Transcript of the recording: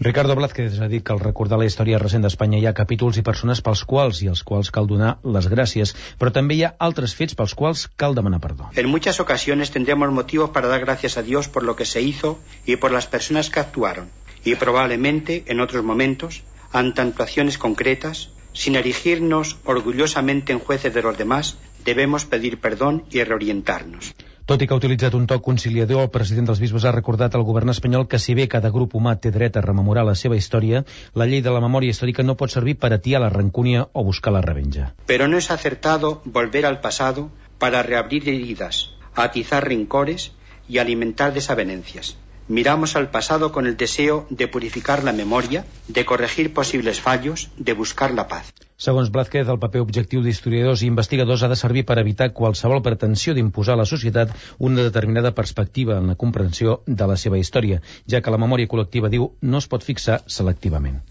Ricardo Blázquez ha dit que al recordar la història recent d'Espanya hi ha capítols i persones pels quals i als quals cal donar les gràcies, però també hi ha altres fets pels quals cal demanar perdó. En muchas ocasiones tendremos motivos para dar gracias a Dios por lo que se hizo y por las personas que actuaron, y probablemente en otros momentos, ante actuaciones concretas, sin erigirnos orgullosamente en jueces de los demás, debemos pedir perdón y reorientarnos. Tot i que ha utilitzat un to conciliador, el president dels bisbes ha recordat al govern espanyol que si bé cada grup humà té dret a rememorar la seva història, la llei de la memòria històrica no pot servir per atiar la rancúnia o buscar la revenja. Pero no es acertado volver al pasado para reabrir heridas, atizar rencores y alimentar desavenencias. Miramos al pasado con el deseo de purificar la memoria, de corregir posibles fallos, de buscar la paz. Segons Blázquez, el paper objectiu d'historiadors i investigadors ha de servir per evitar qualsevol pretensió d'imposar a la societat una determinada perspectiva en la comprensió de la seva història, ja que la memòria col·lectiva, diu, no es pot fixar selectivament.